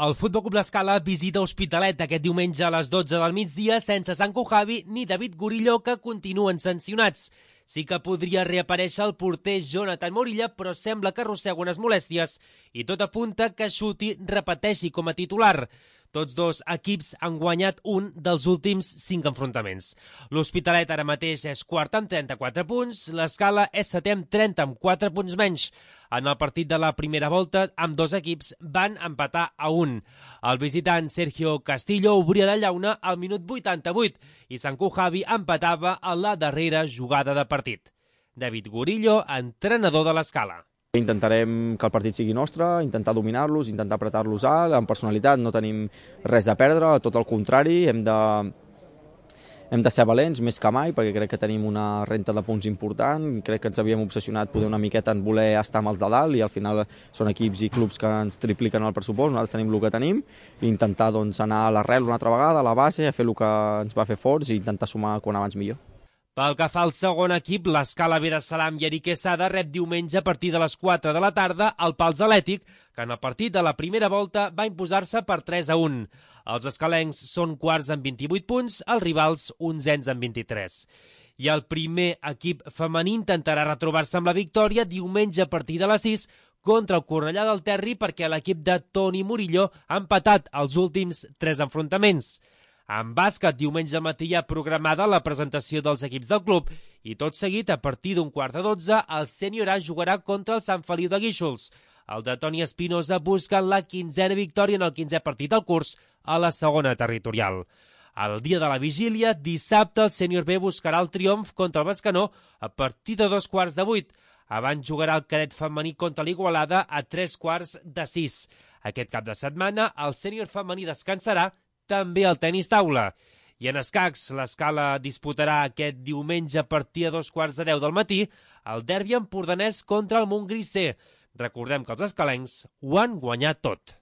El Futbol Club L'Escala visita Hospitalet aquest diumenge a les 12 del migdia sense Sanco Javi ni David Gurillo, que continuen sancionats. Sí que podria reaparèixer el porter Jonathan Morilla, però sembla que arrossega unes molèsties i tot apunta que Xuti repeteixi com a titular. Tots dos equips han guanyat un dels últims 5 enfrontaments. L'Hospitalet ara mateix és quart amb 34 punts, l'Escala és setè amb 30 amb 4 punts menys. En el partit de la primera volta, amb dos equips van empatar a 1. El visitant Sergio Castillo obria la llauna al minut 88 i Sanco Javi empatava a la darrera jugada de partit. David Gurillo, entrenador de l'Escala. Intentarem que el partit sigui nostre, intentar dominar-los, intentar apretar-los alt, amb personalitat, no tenim res a perdre, tot el contrari, hem de ser valents més que mai, perquè crec que tenim una renta de punts important, crec que ens havíem obsessionat poder una miqueta en voler estar amb els de dalt i al final són equips i clubs que ens tripliquen el pressupost, nosaltres tenim el que tenim, i intentar anar a l'arrel una altra vegada, a la base, a fer el que ens va fer forts i intentar sumar quan abans millor. Pel que fa al segon equip, l'Escala Vera Salam i Eric Quesada rep diumenge a partir de les 4 de la tarda el Pals Atlètic, que en el partit de la primera volta va imposar-se per 3-1. Els escalencs són quarts amb 28 punts, els rivals onzens amb 23. I el primer equip femení intentarà retrobar-se amb la victòria diumenge a partir de les 6 contra el Cornellà del Terri, perquè l'equip de Toni Murillo ha empatat els últims 3 enfrontaments. En bàsquet, diumenge al matí hi ha programada la presentació dels equips del club i tot seguit, a partir d'un 11:15, el Sènior A jugarà contra el Sant Feliu de Guíxols. El de Toni Espinosa busca la 15a victòria en el 15è partit del curs a la segona territorial. El dia de la vigília, dissabte, el Sènior B buscarà el triomf contra el Bescanó a partir de 7:15. Abans jugarà el cadet femení contra l'Igualada a 5:45. Aquest cap de setmana, el Sènior femení descansarà, també el tenis taula. I en escacs, l'Escala disputarà aquest diumenge a partir de 2:15 del matí el derbi empordanès contra el Montgrí C. Recordem que els escalencs ho han guanyat tot.